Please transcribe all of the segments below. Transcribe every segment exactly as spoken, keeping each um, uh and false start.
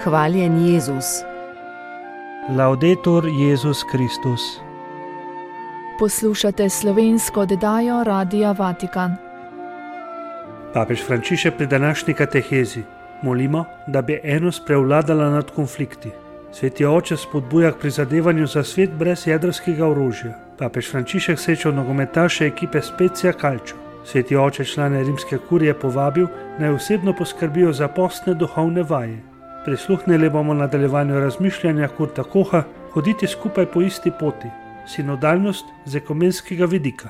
Hvaljen Jezus. Laudetur Jezus Kristus. Poslušate slovensko oddajo Radia Vatikan. Papež Frančišek pri današnji katehezi molimo, da bi enost prevladala nad konflikti. Sveti oče spodbuja k prizadevanju za svet brez jedrskega orožja. Papež Frančišek srečal nogometaše ekipe Spezia Calcio. Sveti oče člane rimske kurije povabil, naj osebno poskrbijo za postne duhovne vaje. Prisluhnili bomo nadaljevanju razmišljanja Kurta Koha, hoditi skupaj po isti poti, sinodalnost z ekumenskega vidika.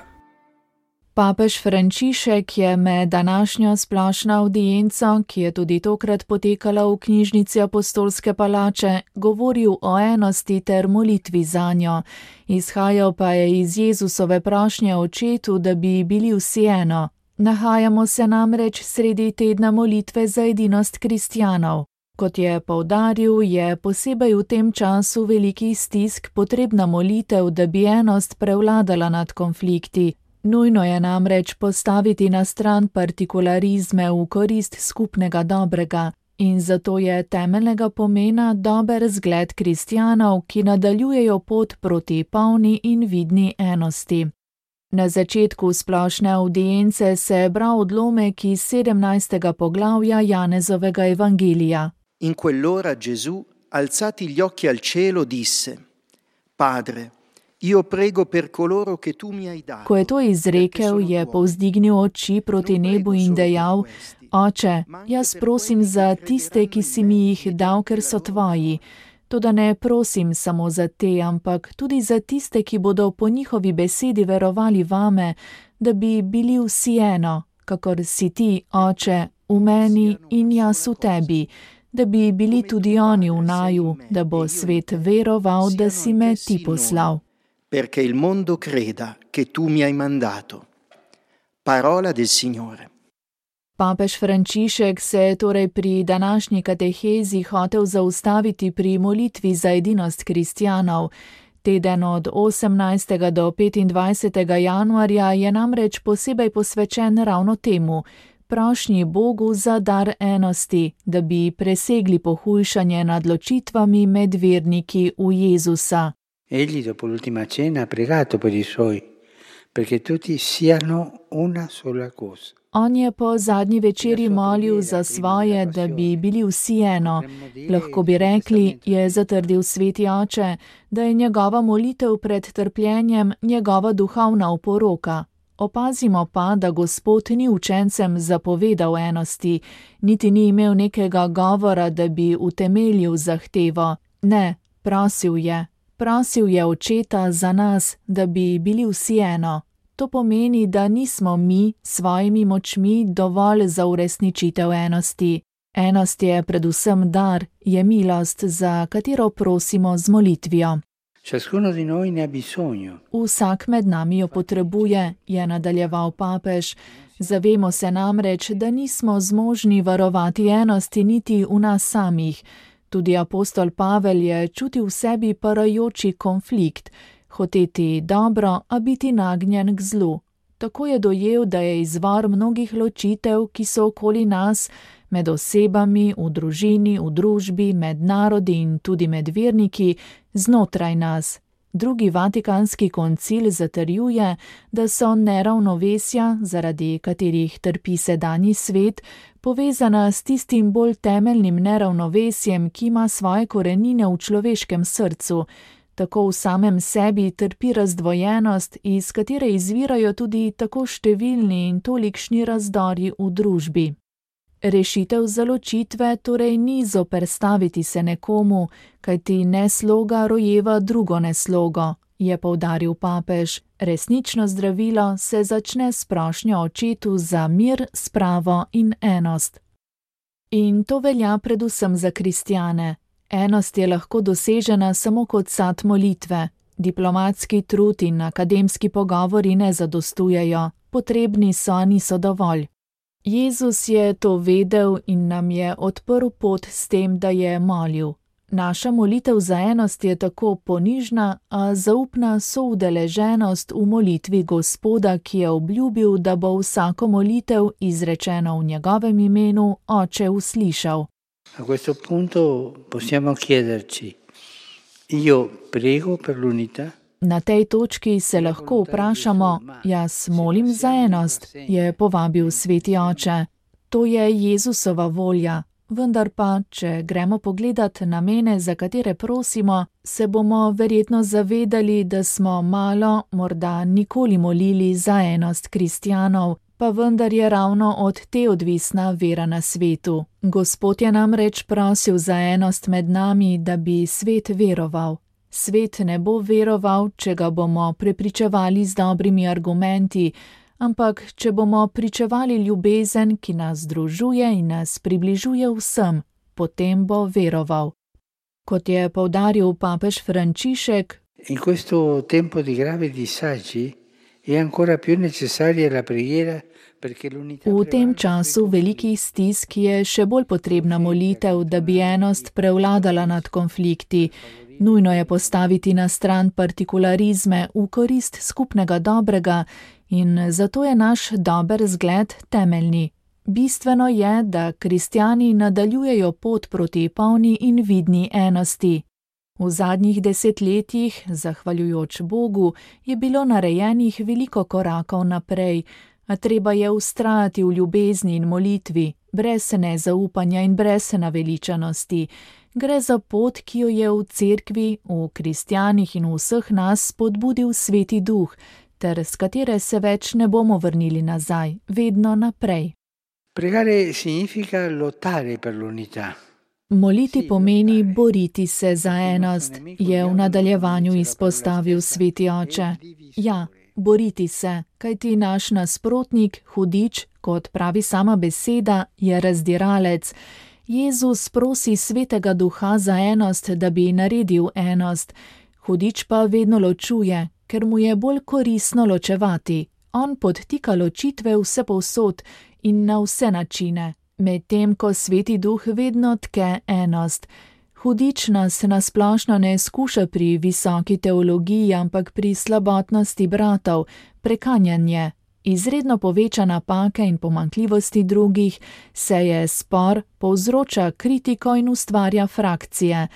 Papež Frančišek je med današnjo splošno avdienco, ki je tudi tokrat potekala v knjižnici Apostolske palače, govoril o enosti ter molitvi zanjo. Izhajal pa je iz Jezusove prošnje očetu, da bi bili vsi eno. Nahajamo se namreč sredi tedna molitve za edinost kristjanov. Kot je poudaril, je posebej v tem času velikih stisk potrebna molitev, da bi enost prevladala nad konflikti. Nujno je namreč postaviti na stran partikularizme v korist skupnega dobrega in zato je temeljnega pomena dober zgled kristjanov, ki nadaljujejo pot proti polni in vidni enosti. Na začetku splošne avdience se je bral odlomek iz sedemnajstega poglavja Janezovega evangelija. In quell'ora Gesù, alzati gli occhi al cielo, disse: Padre, io prego per coloro che tu mi hai dato. Ko je to izrekel, je povzdignil oči proti nebu in dejal: Oče, jaz prosim za tiste, ki si mi jih dal, ker so tvoji. Toda ne prosim samo za te, ampak tudi za tiste, ki bodo po njihovi besedi verovali vame, da bi bili vsi eno, kakor si ti, Oče, v meni in jaz v tebi, da bi bili tudi oni v naju, da bo svet veroval, da si me ti poslal. Perché il mondo creda che tu mi hai mandato. Parola del Signore. Papež Frančišek se je torej pri današnji katehezi hotel zaustaviti pri molitvi za edinost kristjanov. Teden od osemnajstega do petindvajsetega januarja je namreč posebej posvečen ravno temu, prošnji Bogu za dar enosti, da bi presegli pohujšanje nad ločitvami med verniki v Jezusa. Egli dopo l'ultima cena ha pregato per i suoi, perché tutti siano una sola cosa. On je po zadnji večeri molil za svoje, da bi bili vsi eno. Lahko bi rekli, je zatrdil sveti oče, da je njegova molitev pred trpljenjem njegova duhovna oporoka. Opazimo pa, da Gospod ni učencem zapovedal enosti, niti ni imel nekega govora, da bi utemeljil zahtevo. Ne, prosil je. Prosil je očeta za nas, da bi bili vsi eno. To pomeni, da nismo mi s svojimi močmi dovolj za uresničitev enosti. Enost je predvsem dar, je milost, za katero prosimo z molitvijo. Ciascuno di noi ne ha bisogno. Vsak med nami jo potrebuje, je nadaljeval papež. Zavemo se namreč, da nismo zmožni varovati enosti niti v nas samih. Tudi apostol Pavel je čutil v sebi parajoči konflikt, hoteti dobro, a biti nagnjen k zlu. Tako je dojel, da je izvor mnogih ločitev, ki so okoli nas, med osebami, v družini, v družbi, med narodi in tudi med verniki, znotraj nas. Drugi vatikanski koncil zatrjuje, da so neravnovesja, zaradi katerih trpi sedanji svet, povezana s tistim bolj temeljnim neravnovesjem, ki ima svoje korenine v človeškem srcu. Tako v samem sebi trpi razdvojenost, iz katere izvirajo tudi tako številni in tolikšni razdori v družbi. Rešitev za ločitve torej ni zoperstaviti se nekomu, kajti nesloga rojeva drugo neslogo, je poudaril papež. Resnično zdravilo se začne s prošnjo očetu za mir, spravo in enost. In to velja predvsem za kristjane. Enost je lahko dosežena samo kot sad molitve. Diplomatski trud in akademski pogovori ne zadostujejo, potrebni so, a niso dovolj. Jezus je to vedel in nam je odprl pot s tem, da je molil. Naša molitev za enost je tako ponižna, a zaupna soudeleženost v molitvi Gospoda, ki je obljubil, da bo vsako molitev, izrečeno v njegovem imenu, Oče uslišal. A questo punto possiamo chiederci, io prego per l'unità? Na tej točki se lahko vprašamo, jaz molim za enost, je povabil Sveti Oče. To je Jezusova volja, vendar pa, če gremo pogledat namene, za katere prosimo, se bomo verjetno zavedali, da smo malo, morda nikoli molili za enost kristjanov, pa vendar je ravno od te odvisna vera na svetu. Gospod je namreč prosil za enost med nami, da bi svet veroval. Svet ne bo veroval, če ga bomo prepričevali z dobrimi argumenti, ampak če bomo pričevali ljubezen, ki nas združuje in nas približuje vsem, potem bo veroval. Kot je poudaril papež Frančišek, in questo tempo di gravi disagi è ancora più necessaria la preghiera. V tem času velikih stisk je še bolj potrebna molitev, da bi enost prevladala nad konflikti. Nujno je postaviti na stran partikularizme v korist skupnega dobrega in zato je naš dober zgled temeljni. Bistveno je, da kristjani nadaljujejo pot proti polni in vidni enosti. V zadnjih desetletjih, zahvaljujoč Bogu, je bilo narejenih veliko korakov naprej, a treba je vztrajati v ljubezni in molitvi, brez nezaupanja in brez naveličanosti. Gre za pot, ki jo je v cerkvi, v kristjanih in v vseh nas spodbudil Sveti Duh, ter s katere se več ne bomo vrnili nazaj, vedno naprej. Pregare significa lottare per l'unità. Moliti pomeni boriti se za enost, je v nadaljevanju izpostavil Sveti Oče. Ja, boriti se, kajti naš nasprotnik, hudič, kot pravi sama beseda, je razdiralec. Jezus prosi Svetega Duha za enost, da bi naredil enost. Hudič pa vedno ločuje, ker mu je bolj koristno ločevati. On podtika ločitve vsepovsod in na vse načine, medtem ko Sveti Duh vedno tke enost. Hudič nas nasplošno ne skuša pri visoki teologiji, ampak pri slabotnosti bratov, prekanjanje, izredno poveča napake in pomanjkljivosti drugih, seje spor, povzroča kritiko in ustvarja frakcije.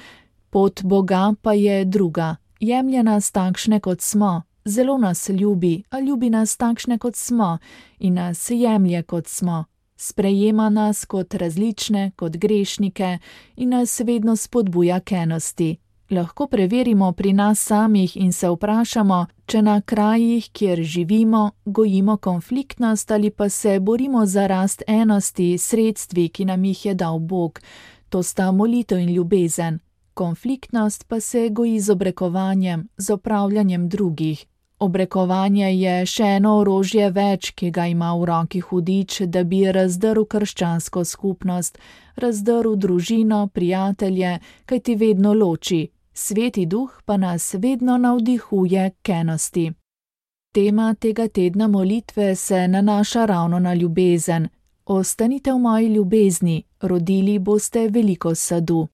Pot Boga pa je druga, jemlje nas takšne, kot smo, zelo nas ljubi, a ljubi nas takšne, kot smo, in nas jemlje, kot smo. Sprejema nas kot različne, kot grešnike in nas vedno spodbuja k enosti. Lahko preverimo pri nas samih in se vprašamo, če na krajih, kjer živimo, gojimo konfliktnost ali pa se borimo za rast enosti sredstvi, ki nam jih je dal Bog. To sta molitev in ljubezen. Konfliktnost pa se goji z obrekovanjem, z opravljanjem drugih. Obrekovanje je še eno orožje več, ki ga ima v roki hudič, da bi razdrl krščansko skupnost, razdrl družino, prijatelje, kaj ti vedno loči. Sveti Duh pa nas vedno navdihuje k enosti. Tema tega tedna molitve se nanaša ravno na ljubezen. Ostanite v moji ljubezni, rodili boste veliko sadu.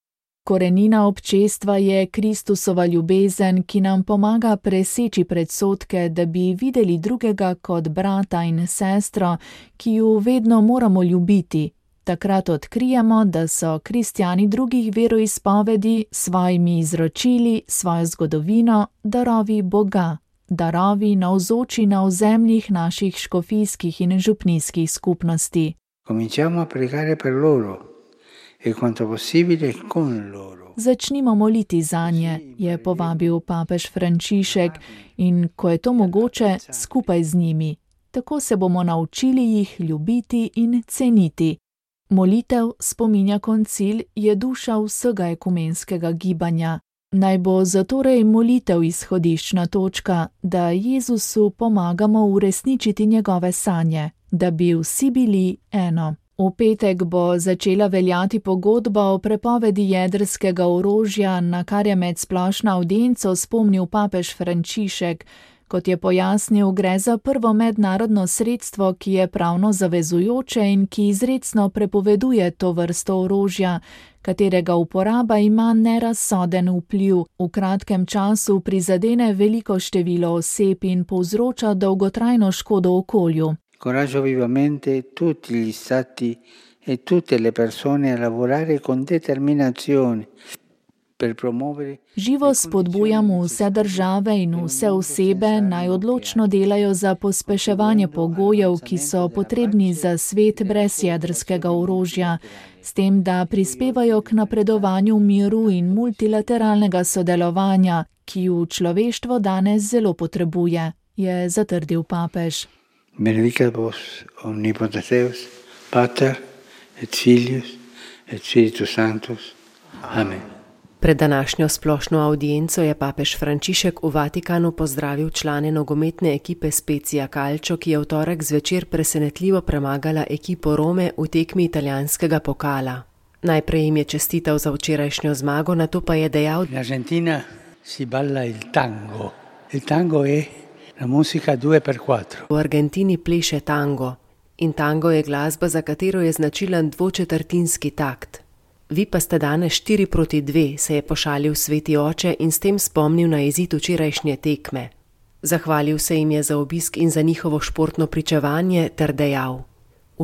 Korenina občestva je Kristusova ljubezen, ki nam pomaga preseči predsodke, da bi videli drugega kot brata in sestro, ki ju vedno moramo ljubiti. Takrat odkrijemo, da so kristjani drugih veroizpovedi svojimi izročili, svojo zgodovino, darovi Boga, darovi navzoči na ozemljih naših škofijskih in župnijskih skupnosti. Cominciamo a pregare per loro. E quanto possibile con loro. Začnimo moliti zanje, je povabil papež Frančišek, in ko je to mogoče, skupaj z njimi. Tako se bomo naučili jih ljubiti in ceniti. Molitev, spominja koncil, je duša vsega ekumenskega gibanja. Naj bo zatorej molitev izhodiščna točka, da Jezusu pomagamo uresničiti njegove sanje, da bi vsi bili eno. V petek bo začela veljati pogodba o prepovedi jedrskega orožja, na kar je med splošno avdienco spomnil papež Frančišek. Kot je pojasnil, gre za prvo mednarodno sredstvo, ki je pravno zavezujoče in ki izrecno prepoveduje to vrsto orožja, katerega uporaba ima nerazsoden vpliv, v kratkem času prizadene veliko število oseb in povzroča dolgotrajno škodo okolju. Coraggio vivamente tutti gli stati e tutte le persone a lavorare con determinazione per promuovere. Živo spodbujamo vse države in vse osebe, naj odločno delajo za pospeševanje pogojev, ki so potrebni za svet brez jedrskega orožja, s tem, da prispevajo k napredovanju miru in multilateralnega sodelovanja, ki ju človeštvo danes zelo potrebuje, je zatrdil papež. Benedicat vos omnipotens Deus, Pater et Filius et Spiritus Sanctus. Amen. Pred današnjo splošno avdienco je papež Frančišek v Vatikanu pozdravil člane nogometne ekipe Spezia Calcio, ki je v torek zvečer presenetljivo premagala ekipo Rome v tekmi italijanskega pokala. Najprej jim je čestital za včerajšnjo zmago, nato pa je dejal: In Argentina si balla il tango. Il tango je la musica due per quattro. V Argentini pleše tango in tango je glasba, za katero je značilen dvočetrtinski takt. Vi pa ste danes štiri proti dve, se je pošalil sveti oče in s tem spomnil na izid včerajšnje tekme. Zahvalil se jim je za obisk in za njihovo športno pričevanje ter dejal: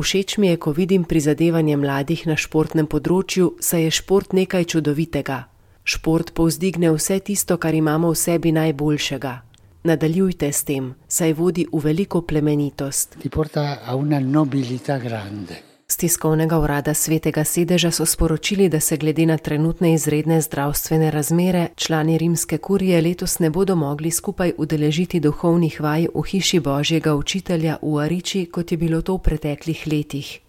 Všeč mi je, ko vidim prizadevanje mladih na športnem področju, saj je šport nekaj čudovitega. Šport povzdigne vse tisto, kar imamo v sebi najboljšega. Nadaljujte s tem, saj vodi v veliko plemenitost. Ti porta a una nobilità grande. Z tiskovnega urada Svetega sedeža so sporočili, da se glede na trenutne izredne zdravstvene razmere člani rimske kurije letos ne bodo mogli skupaj udeležiti duhovnih vaj v hiši Božjega učitelja v Ariči, kot je bilo to v preteklih letih.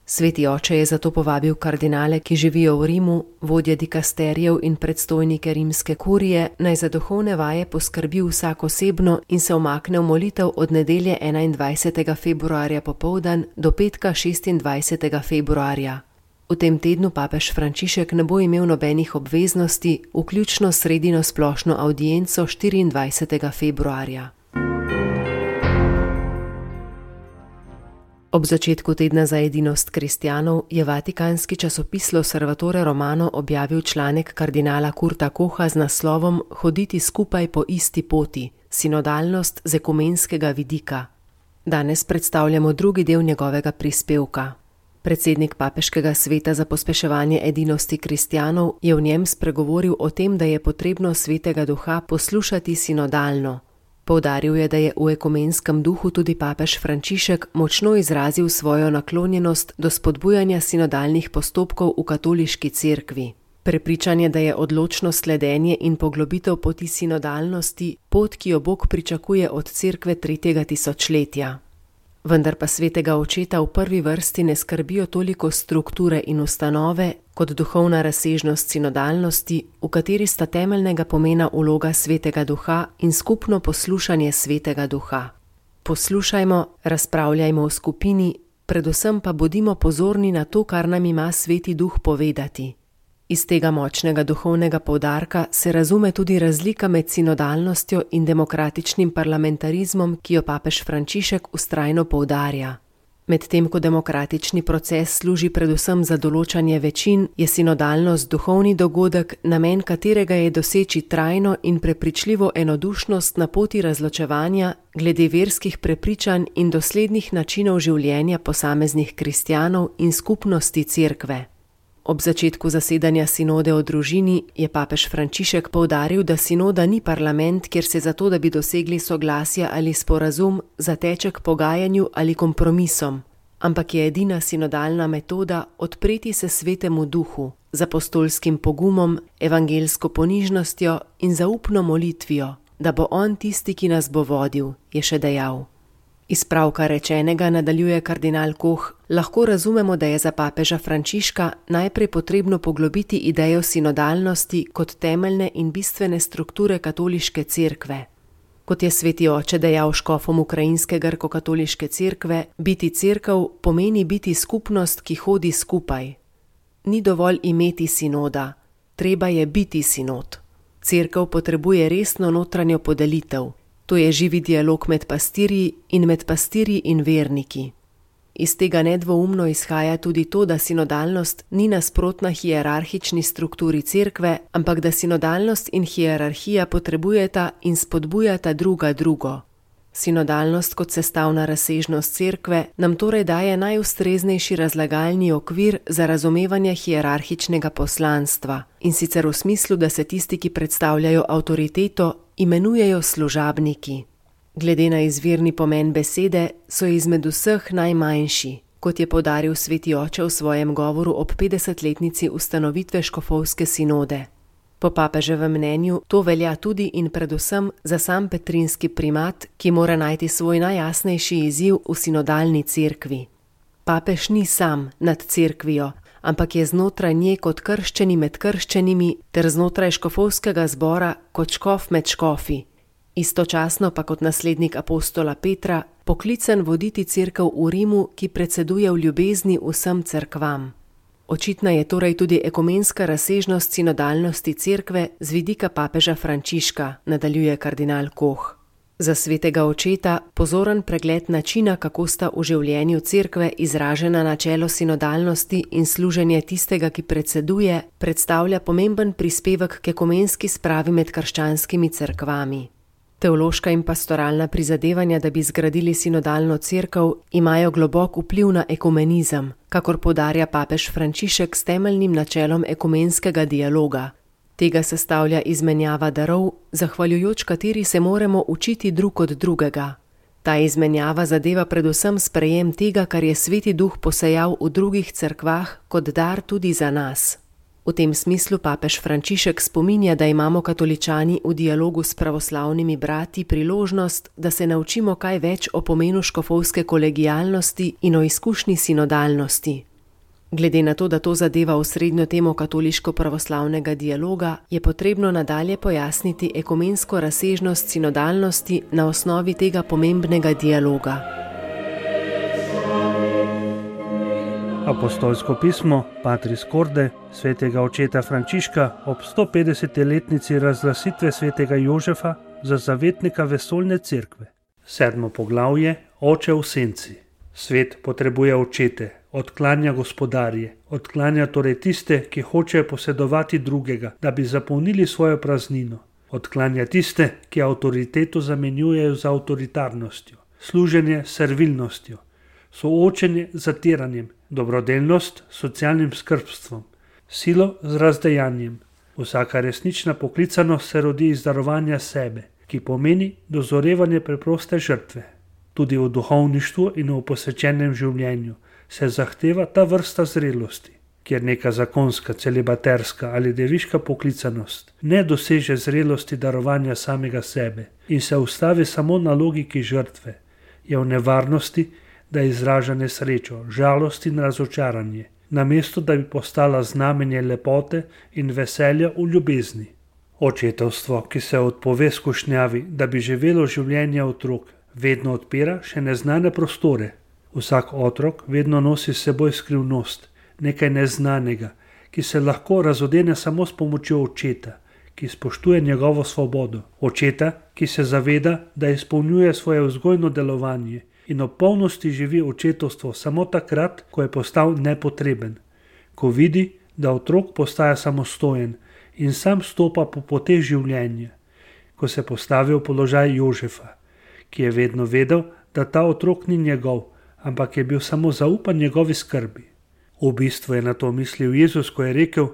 Sveti oče je zato povabil kardinale, ki živijo v Rimu, vodje dikasterijev in predstojnike rimske kurije, naj za duhovne vaje poskrbi vsak osebno in se umakne v molitev od nedelje enaindvajsetega februarja popoldan do petka šestindvajsetega februarja. V tem tednu papež Frančišek ne bo imel nobenih obveznosti, vključno sredino splošno avdienco štiriindvajsetega februarja. Ob začetku tedna za edinost kristjanov je vatikanski časopis L'Osservatore Romano objavil članek kardinala Kurta Koha z naslovom Hoditi skupaj po isti poti, sinodalnost z ekumenskega vidika. Danes predstavljamo drugi del njegovega prispevka. Predsednik papeškega sveta za pospeševanje edinosti kristjanov je v njem spregovoril o tem, da je potrebno svetega duha poslušati sinodalno. Poudaril je, da je v ekumenskem duhu tudi papež Frančišek močno izrazil svojo naklonjenost do spodbujanja sinodalnih postopkov v katoliški cerkvi. Prepričan je, da je odločno sledenje in poglobitev poti sinodalnosti pot, ki jo Bog pričakuje od cerkve tretjega tisočletja. Vendar pa svetega očeta v prvi vrsti ne skrbijo toliko strukture in ustanove, kot duhovna razsežnost sinodalnosti, v kateri sta temeljnega pomena vloga svetega duha in skupno poslušanje svetega duha. Poslušajmo, razpravljajmo v skupini, predvsem pa bodimo pozorni na to, kar nam ima sveti duh povedati. Iz tega močnega duhovnega poudarka se razume tudi razlika med sinodalnostjo in demokratičnim parlamentarizmom, ki jo papež Frančišek vztrajno poudarja. Medtem ko demokratični proces služi predvsem za določanje večin, je sinodalnost duhovni dogodek, namen katerega je doseči trajno in prepričljivo enodušnost na poti razločevanja glede verskih prepričanj in doslednih načinov življenja posameznih kristjanov in skupnosti cerkve. Ob začetku zasedanja sinode o družini je papež Frančišek poudaril, da sinoda ni parlament, kjer se zato, da bi dosegli soglasje ali sporazum, zateče k pogajanju ali kompromisom, ampak je edina sinodalna metoda odpreti se svetemu duhu, z apostolskim pogumom, evangelsko ponižnostjo in zaupno molitvijo, da bo on tisti, ki nas bo vodil, je še dejal. Iz pravka rečenega, nadaljuje kardinal Koh, lahko razumemo, da je za papeža Frančiška najprej potrebno poglobiti idejo sinodalnosti kot temeljne in bistvene strukture katoliške cerkve. Kot je sveti oče dejal škofom ukrajinske grko-katoliške cerkve, biti cerkev pomeni biti skupnost, ki hodi skupaj. Ni dovolj imeti sinoda, treba je biti sinod. Cerkev potrebuje resno notranjo podelitev. To je živi dialog med pastirji in med pastirji in verniki. Iz tega nedvoumno izhaja tudi to, da sinodalnost ni nasprotna hierarhični strukturi cerkve, ampak da sinodalnost in hierarhija potrebujeta in spodbujata druga drugo. Sinodalnost kot sestavna razsežnost cerkve nam torej daje najustreznejši razlagalni okvir za razumevanje hierarhičnega poslanstva, in sicer v smislu, da se tisti, ki predstavljajo avtoriteto, imenujejo služabniki. Glede na izvirni pomen besede, so izmed vseh najmanjši, kot je poudaril sveti oče v svojem govoru ob petdesetletnici ustanovitve škofovske sinode. Po papeževem mnenju to velja tudi in predvsem za sam petrinski primat, ki mora najti svoj najjasnejši izziv v sinodalni cerkvi. Papež ni sam nad cerkvijo, ampak je znotraj nje kot krščeni med krščenimi ter znotraj škofovskega zbora kot škof med škofi. Istočasno pa kot naslednik apostola Petra poklican voditi cerkev v Rimu, ki predseduje v ljubezni vsem cerkvam. Očitna je torej tudi ekumenska razsežnost sinodalnosti cerkve z vidika papeža Frančiška, nadaljuje kardinal Koh. Za svetega očeta pozoren pregled načina, kako sta v življenju cerkve izražena načelo sinodalnosti in služenje tistega, ki predseduje, predstavlja pomemben prispevek k ekumenski spravi med krščanskimi cerkvami. Teološka in pastoralna prizadevanja, da bi zgradili sinodalno cerkev, imajo globok vpliv na ekumenizem, kakor poudarja papež Frančišek s temeljnim načelom ekumenskega dialoga. Tega sestavlja izmenjava darov, zahvaljujoč kateri se moramo učiti drug od drugega. Ta izmenjava zadeva predvsem sprejem tega, kar je Sveti Duh posejal v drugih cerkvah kot dar tudi za nas. V tem smislu papež Frančišek spominja, da imamo katoličani v dialogu s pravoslavnimi brati priložnost, da se naučimo kaj več o pomenu škofovske kolegialnosti in o izkušnji sinodalnosti. Glede na to, da to zadeva osrednjo temo katoliško-pravoslavnega dialoga, je potrebno nadalje pojasniti ekumensko razsežnost sinodalnosti na osnovi tega pomembnega dialoga. Apostolsko pismo Patris Corde svetega očeta Frančiška ob sto petdesetletnici razglasitve svetega Jožefa za zavetnika vesoljne cerkve. Sedmo poglavje, Oče v senci. Svet potrebuje očete, odklanja gospodarje, odklanja torej tiste, ki hočejo posedovati drugega, da bi zapolnili svojo praznino. Odklanja tiste, ki avtoriteto zamenjujejo z avtoritarnostjo, služenje s servilnostjo, soočenje z zatiranjem, dobrodelnost s socialnim skrbstvom, silo z razdejanjem. Vsaka resnična poklicanost se rodi iz darovanja sebe, ki pomeni dozorevanje preproste žrtve. Tudi v duhovništvu in v posvečenem življenju se zahteva ta vrsta zrelosti, kjer neka zakonska, celibaterska ali deviška poklicanost ne doseže zrelosti darovanja samega sebe in se ustavi samo na logiki žrtve, je v nevarnosti, da izraža nesrečo, žalost in razočaranje, namesto da bi postala znamenje lepote in veselja v ljubezni. Očetovstvo, ki se odpove skušnjavi, da bi živelo življenje otrok, vedno odpira še neznane prostore. Vsak otrok vedno nosi s seboj skrivnost, nekaj neznanega, ki se lahko razodene samo s pomočjo očeta, ki spoštuje njegovo svobodo. Očeta, ki se zaveda, da izpolnjuje svoje vzgojno delovanje in v polnosti živi očetovstvo samo takrat, ko je postal nepotreben, ko vidi, da otrok postaja samostojen in sam stopa po poteh življenja, ko se postavi v položaj Jožefa, ki je vedno vedel, da ta otrok ni njegov, ampak je bil samo zaupan njegovi skrbi. V bistvu je na to mislil Jezus, ko je rekel: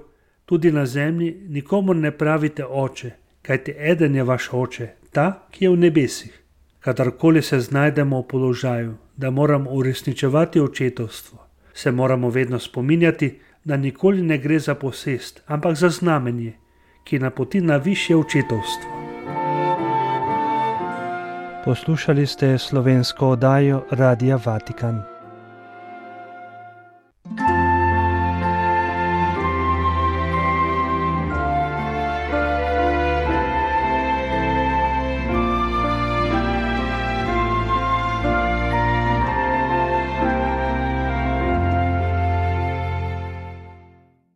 tudi na zemlji nikomur ne pravite oče, kajti eden je vaš oče, ta, ki je v nebesih. Kadarkoli se znajdemo v položaju, da moramo uresničevati očetovstvo, se moramo vedno spominjati, da nikoli ne gre za posest, ampak za znamenje, ki napoti na višje očetovstvo. Poslušali ste slovensko oddajo Radia Vatikan.